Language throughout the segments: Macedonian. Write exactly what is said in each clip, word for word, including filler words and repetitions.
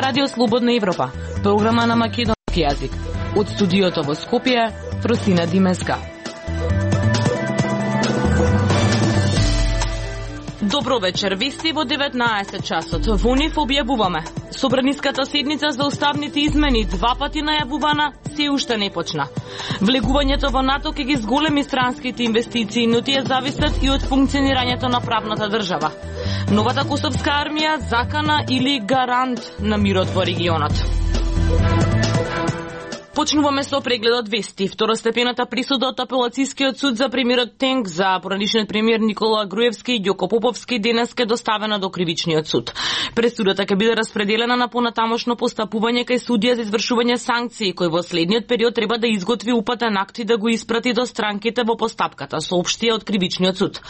Радио Слободна Европа, програма на македонски јазик. Од студиото во Скопје, Фросина Димеска. Добро вечер, вести во деветнаесет часот. Во нив објавуваме. Собраниската седница за уставните измени, два пати најавувана, се уште не почна. Влегувањето во НАТО ќе ги зголеми странските инвестиции, но тие зависат и од функционирањето на правната држава. Новата косовска армија закана или гарант на мирот во регионот. Почнуваме со прегледот вести. Второстепената присуда од апелацијскиот суд за премиерот Тенк за поранишниот премиер Никола Груевски и Ѓоко Поповски денес ке доставена до кривичниот суд. Пресудата ќе биде распределена на понатамошно постапување кај судија за извршување санкции, кој во следниот период треба да изготви упатен акт и да го испрати до странките во постапката, соопштија од кривичниот суд.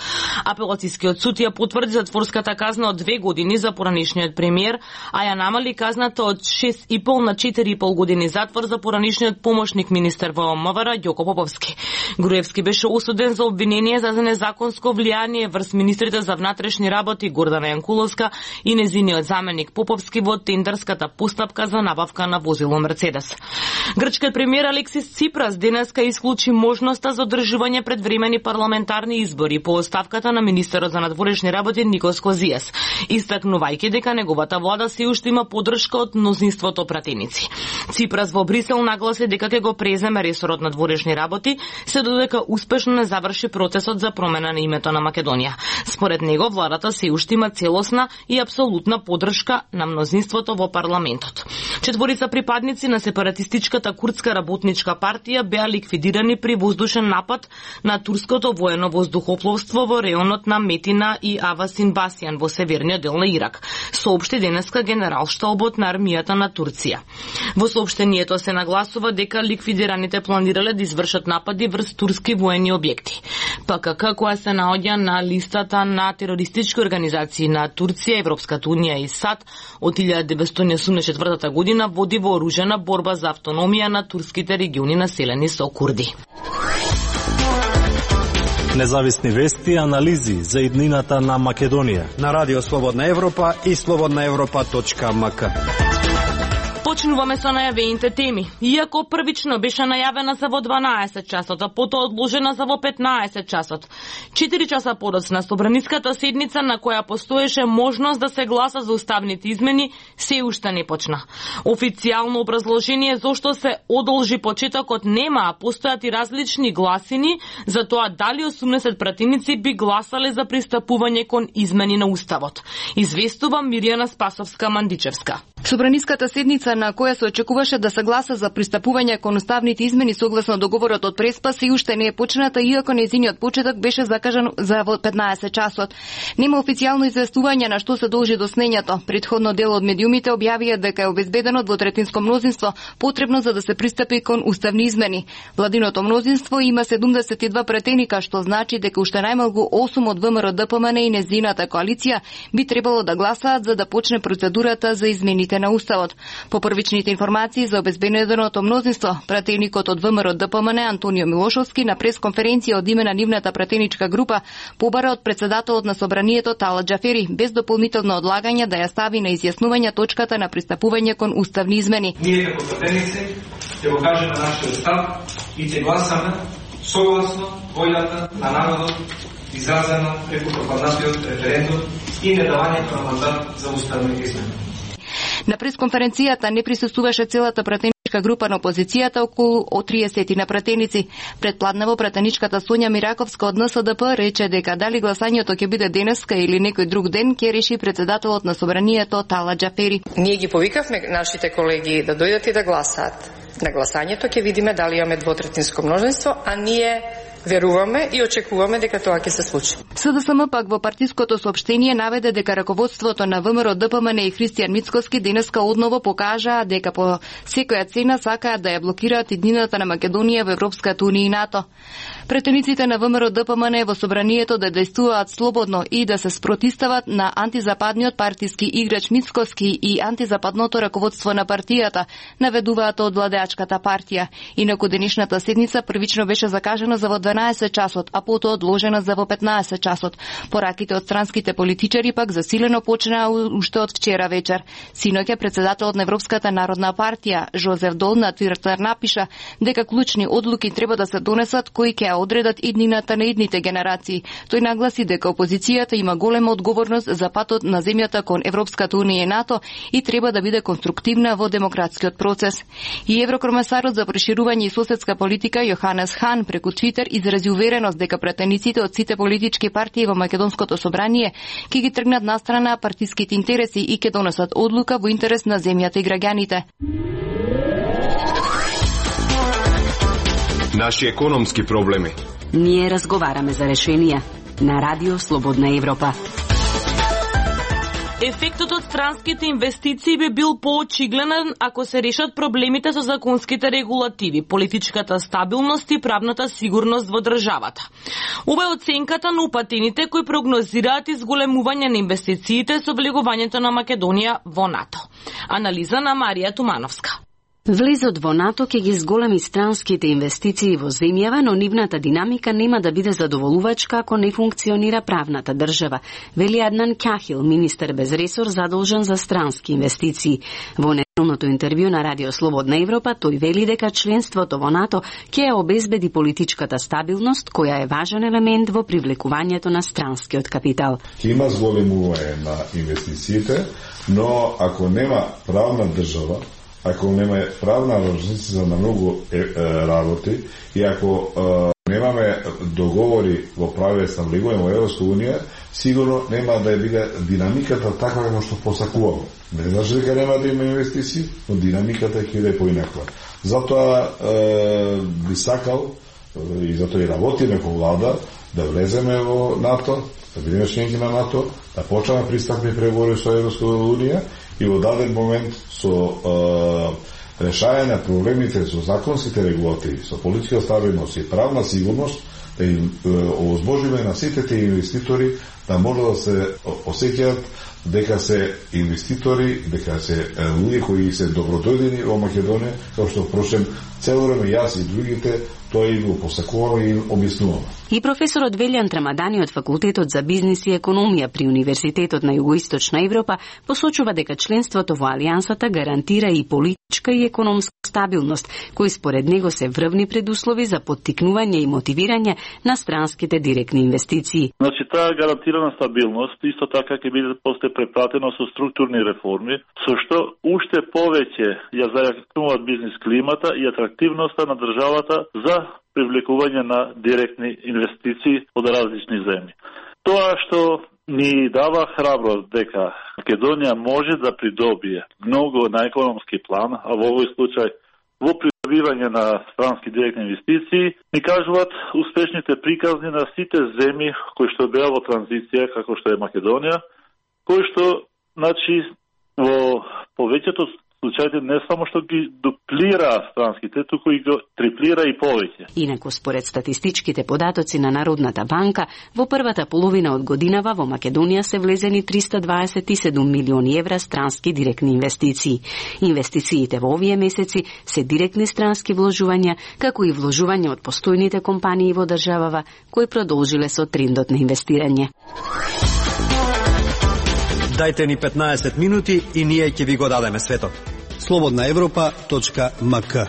Апелацијскиот суд ја потврди затворската казна од две години за поранишниот премиер, а ја намали казната од шест и пол на четири и пол години затвор за поранишниот помошник министер во МВР Ѓоко Поповски. Груевски беше осуден за обвинение за незаконско влијание врз министрите за внатрешни работи Гордана Јанкуловска и незиниот заменик Поповски во тендерската постапка за набавка на возило Мерцедес. Грчкиот премиер Алексис Ципрас денеска исклучи можноста за одржување предвремени парламентарни избори по оставката на министерот за надворешни работи Никос Козијас, истакнувајќи дека неговата влада се уште има поддршка од мнозинството пратеници. Ципрас во Брисел нагласи дека ќе го преземе ресорот на надворешни работи, се додека успешно не заврши процесот за промена на името на Македонија. Според него, владата се уште има целосна и апсолутна поддршка на мнозинството во парламентот. Четворица припадници на сепаратистичката курдска работничка партија беа ликвидирани при воздушен напад на турското воено воздухопловство во реонот на Метина и Авасин Басијан во северниот дел на Ирак, соопшти денеска генералштабот на армијата на Турција. Во соопштението се нагласува дека ликвидираните планирале да извршат напади врз турски воени објекти. ПКК, која се наоѓа на листата на терористички организации на Турција, Европската унија и САД од илјада деветстотини и осумдесет и четвртата година води вооружена борба за автономија на турските региони населени со курди. Независни вести и анализи за иднината на Македонија на Радио Слободна Европа и слободна европа точка ем ка. Почнуваме со најавените теми. Иако првично беше најавена за во дванаесет часот, а потоа одложена за во петнаесет часот. четири часа подоцна собраниската седница на која постоеше можност да се гласа за уставните измени се уште не почна. Официјално образложение зошто се одолжи почетокот нема, а постојат и различни гласини за тоа дали осумдесет пратеници би гласале за пристапување кон измени на уставот. Известува Мирјана Спасовска-Мандичевска. Собраниската седница на која се очекуваше да се гласа за пристапување кон уставните измени согласно договорот од Преспа се уште не е почната, иако нејзиниот почеток беше закажан за во петнаесет часот. Нема официјално известување на што се должи доснењето. Претходно дел од медиумите објавија дека е обезбедено двотретинско мнозинство потребно за да се пристапи кон уставни измени. Владиното мнозинство има седумдесет и два претеника, што значи дека уште најмалку осум од ВМРО Д П М Н и незината коалиција би требало да гласаат за да почне процедурата за измените на уставот. По првичните информации за обезбеденото мнозинство, пратеникот од ВМРО Д П М Н Антонио Милошовски на пресконференција од име на нивната пратеничка група побара од председателот на собранието Тала Џафери без дополнително одлагање да ја стави на изјаснување точката на пристапување кон уставни измени. Ние како пратеници ќе го кажеме нашиот став и ќе гласаме согласно волјата на народот изразена преку пропаднатиот референдум и недавањето на мандат за уставни измени. На пресконференцијата не присуствуваше целата пратеничка група на опозицијата, околу од триесет на пратеници. Предпладнево пратеничката Сонја Мираковска од Н С Д П рече дека дали гласањето ќе биде денеска или некој друг ден, ќе реши председателот на собранието Тала Џафери. Ние ги повикавме нашите колеги да дојдат и да гласаат. На гласањето ќе видиме дали имаме двотретинско мнозинство, а ние веруваме и очекуваме дека тоа ќе се случи. С Д С М пак во партиското соопштение наведе дека раководството на ВМРО Д П М Н и Христијан Мицкоски денеска одново покажаа дека по секоја цена сакаат да ја блокираат иднината на Македонија во Европската унија и НАТО. Претениците на ВМРО Д П М Н во собранието да действуваат слободно и да се спротистават на антизападниот партиски играч Мицкоски и антизападното раководство на партијата, наведуваат од владеачката партија. Инаку денешната седница првично беше закажана за во дванаесет часот, а потоа одложена за во петнаесет часот. Пораките од странските политичари пак засилено почнаа уште од вчера вечер. Синоќа председателот на Европската народна партија Жозеф Дол на Твитер напиша дека клучни одлуки треба да се донесат кои ќе одредат иднината на идните генерации. Тој нагласи дека опозицијата има голема одговорност за патот на земјата кон Европската унија и НАТО и треба да биде конструктивна во демократскиот процес. И еврокомесарот за проширување и соседска политика Јоханес Хан преку Твитер изрази увереност дека претениците од сите политички партии во македонското собрание ќе ги тргнат настрана партиските интереси и ќе донесат одлука во интерес на земјата и граѓаните. Наши економски проблеми. Ние разговараме за решенија на Радио Слободна Европа. Ефектот од странските инвестиции би бил поочигледен ако се решат проблемите со законските регулативи, политичката стабилност и правната сигурност во државата. Ова е оценката на упатените кои прогнозираат изголемување на инвестициите со влегувањето на Македонија во НАТО. Анализа на Марија Тумановска. Влезот во НАТО ќе ги зголеми странските инвестиции во земјава, но нивната динамика нема да биде задоволувачка ако не функционира правната држава, вели Аднан Кахил, министер без ресор задолжен за странски инвестиции. Во неделното интервју на Радио Слободна Европа тој вели дека членството во НАТО ќе ја обезбеди политичката стабилност, која е важен елемент во привлекувањето на странскиот капитал. Ќе има зголемување на инвестициите, но ако нема правна држава, ако нема правна организација на многу е, е, работи и ако е, немаме договори во правец на влегување во Европска унија, сигурно нема да биде динамиката таква како што посакуваме. Не значи дека нема да има инвестиции, но динамиката ќе биде поинаква. Затоа е, би сакал е, и затоа и работиме како влада да влеземе во НАТО, да бидеме членки на НАТО, да почнеме пристапни преговори со Европска унија и во даден момент со е, решање на проблемите со законските регулативи, со политичка стабилност и правна сигурност, да им овозможиме на сите тие инвеститори да може да се осеќаат дека се инвеститори, дека се луѓе кои се добродојдени во Македонија, како што впрочем цело време јас и другите тоа и го посакуваме и објаснуваме. И професорот Велјан Трамадани од Факултетот за бизнис и економија при Универзитетот на Југоисточна Европа посочува дека членството во Алијансата гарантира и политичка и економска стабилност, кои според него се врвни предуслови за поттикнување и мотивирање на странските директни инвестиции. Значи, таа гарантирана стабилност исто така ќе биде после препратено со структурни реформи, со што уште повеќе ја зајакнуваат бизнис климата и атрактивноста на државата за привлекување на директни инвестиции од различни земји. Тоа што ни дава храброст дека Македонија може да придобие многу на економски план, а во овој случај во придобивање на странски директни инвестиции, ни кажуваат успешните приказни на сите земји кои што беа во транзиција, како што е Македонија, кои што, значи, во повеќето случаите не само што ги дуплира странските, туку и го триплира и повеќе. Инаку според статистичките податоци на Народната банка, во првата половина од годинава во Македонија се влезени триста дваесет и седум милиони евра странски директни инвестиции. Инвестициите во овие месеци се директни странски вложувања, како и вложување од постојните компании во државава, кои продолжиле со трендот на инвестирање. Дајте ни петнаесет минути и ние ќе ви го дадеме светот. слободна европа точка ем ка.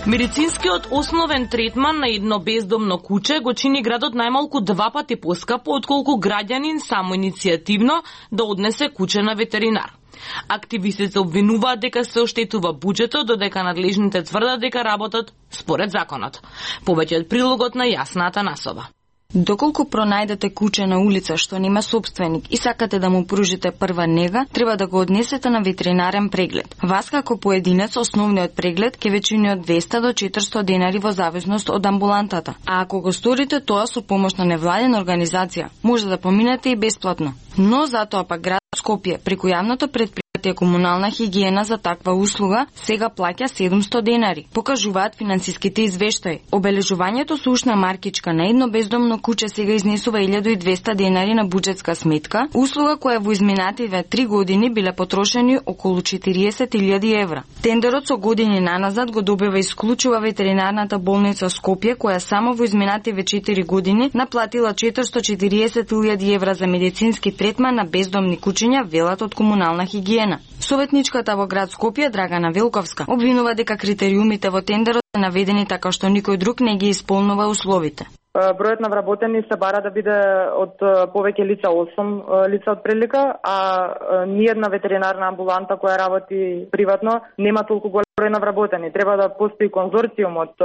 Медицинскиот основен третман на едно бездомно куче го чини градот најмалку два пати поскапо отколку граѓанин самоиницијативно да однесе куче на ветеринар. Активистите обвинуваат дека се оштетува буџетот, додека надлежните тврдат дека работат според законот. Повеќе од прилогот на Јасна Атанасова. Доколку пронајдете куче на улица што нема сопственик и сакате да му пружите прва нега, треба да го однесете на ветеринарен преглед. Вас како поединец основниот преглед ќе ве чини од двеста до четиристо денари во зависност од амбулантата. А ако го сторите тоа со помош на невладена организација, може да поминете и бесплатно. Но затоа пак град Скопје преку јавното предпријатие предпријатие Комунална хигиена за таква услуга сега плаќа седумсто денари, покажуваат финансиските извештаи. Обележувањето со ушна маркичка на едно бездомно куче сега изнесува илјада и двесте денари на буџетска сметка, услуга која во изминативе три години биле потрошени околу четириесет илјади евра. Тендерот со години наназад го добива исклучува ветеринарната болница Скопје, која само во изминативе четири години наплатила четиристо четириесет илјади евра за медицински третман на бездомни кучиња, велат од Комунална хигиена. Советничката во град Скопје, Драгана Велковска, обвинува дека критериумите во тендерот се наведени така што никој друг не ги исполнува условите. Бројот на вработени се бара да биде од повеќе лица, осум лица од прилика, а ниедна ветеринарна амбуланта која работи приватно нема толку голем број на вработени. Треба да постои конзорциум од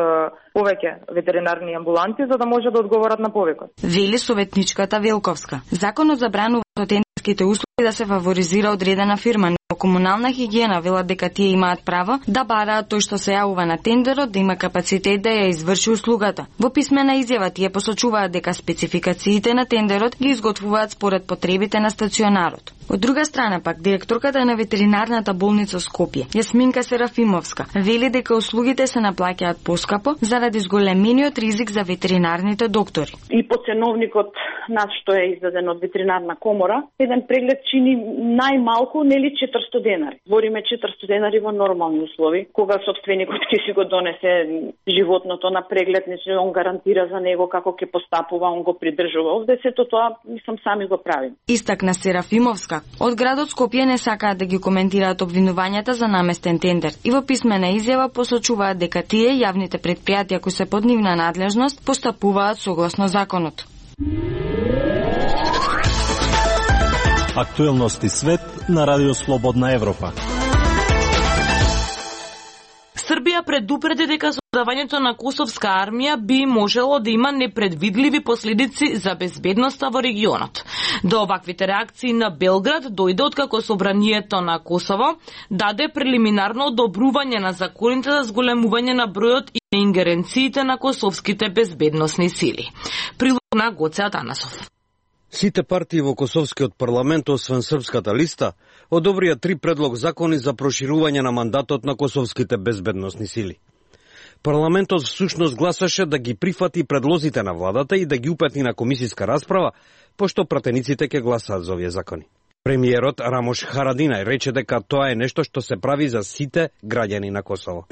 повеќе ветеринарни амбуланти за да може да одговорат на повикот. Вели советничката Велковска. Законот забранува со тендерските услуги да се фаворизира одредена фирма, но Комунална хигиена велат дека тие имаат право да бараат тој што се јавува на тендерот да има капацитет да ја изврши услугата. Во писмена изјава тие посочуваат дека спецификациите на тендерот ги изготвуваат според потребите на стационарот. Од друга страна пак, директорката на ветеринарната болница Скопје, Јасминка Серафимовска, вели дека услугите се наплаќаат поскапо заради зголемениот ризик за ветеринарните доктори. И по ценовникот наш што е издаден од ветеринарна комора, еден преглед чини најмалку нели четиристо денари. Збориме четиристо денари во нормални услови, кога собственикот ќе си го донесе животното на преглед, не он гарантира за него како ќе постапува, он го придржува. Овде сето тоа мислам сами го правим. Истакна Серафимовска. Од градот Скопје не сакаат да ги коментираат обвинувањата за наместен тендер и во писмена изјава посочуваат дека тие јавните предпријатија кои се под нивна надлежност постапуваат согласно законот. Актуелности свет на Радио Слободна Европа. Србија предупреди дека создавањето на косовска армија би можело да има непредвидливи последици за безбедноста во регионот. До оваквите реакции на Белград дојде откако собранието на Косово даде прелиминарно одобрување на законите за зголемување на бројот и ингеренциите на косовските безбедносни сили. Прилог на Гоце Атанасов. Сите партии во Косовскиот парламент, освен Српската листа, одобрија три предлог закони за проширување на мандатот на косовските безбедносни сили. Парламентот всушност гласаше да ги прифати предлозите на владата и да ги упатни на комисиска расправа, пошто пратениците ќе гласаат за овие закони. Премиерот Рамош Харадинај рече дека тоа е нешто што се прави за сите граѓани на Косово.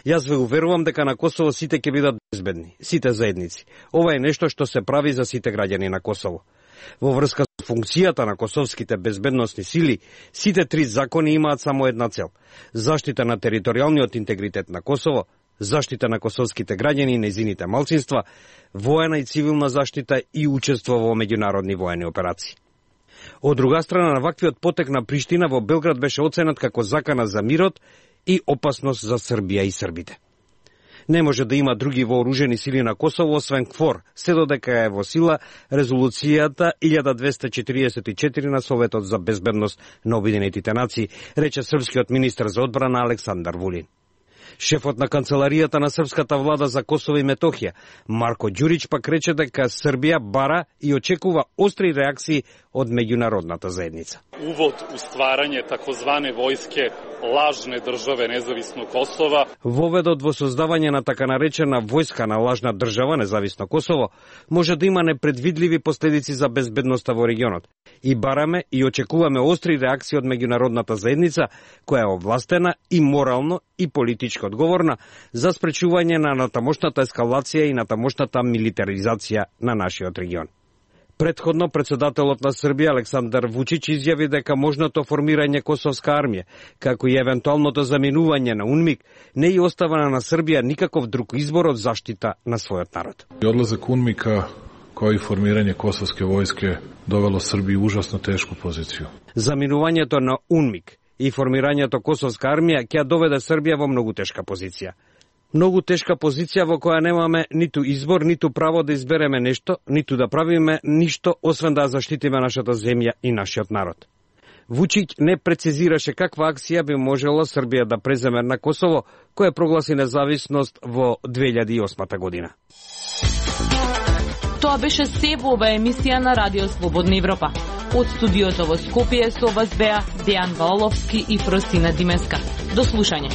Јас ве уверувам дека на Косово сите ќе бидат безбедни, сите заедници. Ова е нешто што се прави за сите граѓани на Косово. Во врска со функцијата на косовските безбедносни сили, сите три закони имаат само една цел: заштита на територијалниот интегритет на Косово, заштита на косовските граѓани и незините малцинства, воена и цивилна заштита и учество во меѓународни воени операции. Од друга страна, на ваквиот потек на Приштина во Белград беше оценет како закана за мирот и опасност за Србија и србите. Не може да има други вооружени сили на Косово освен КФОР, се додека е во сила резолуцијата илјада двесте четириесет и четири на Советот за безбедност на Обединетите нации, рече српскиот министар за одбрана Александар Вулин. Шефот на канцеларијата на српската влада за Косово и Метохија, Марко Ѓурич, пак рече дека Србија бара и очекува остри реакции од меѓународната заедница. Увод у стварање такозване војске лажне државе независно Косово. Воведот во создавање на така наречена војска на лажна држава независно Косово може да има непредвидливи последици за безбедноста во регионот. И бараме и очекуваме остри реакции од меѓународната заедница, која е овластена и морално и политички одговорна за спречување на натамошната ескалација и натамошната милитаризација на нашиот регион. Предходно, председателот на Србија Александар Вучич изјави дека можното формирање косовска армија, како и евентуалното заменување на УНМИК, не и остава на Србија никаков друг избор од заштита на својот народ. Одлазак УНМИКа, кој формирање косовске војске, довело Србија ужасно тешку позиција. Заменувањето на УНМИК и формирањето косовска армија ќе доведе Србија во многу тешка позиција. Многу тешка позиција во која немаме ниту избор, ниту право да избереме нешто, ниту да правиме ништо, освен да заштитиме нашата земја и нашиот народ. Вучиќ не прецизираше каква акција би можела Србија да преземе на Косово, која прогласи независност во две илјади и осма година. Тоа беше се во ова емисија на Радио Слободна Европа. Од студиото во Скопје со вас беа Дејан Валовски и Фросина Димеска. До слушање.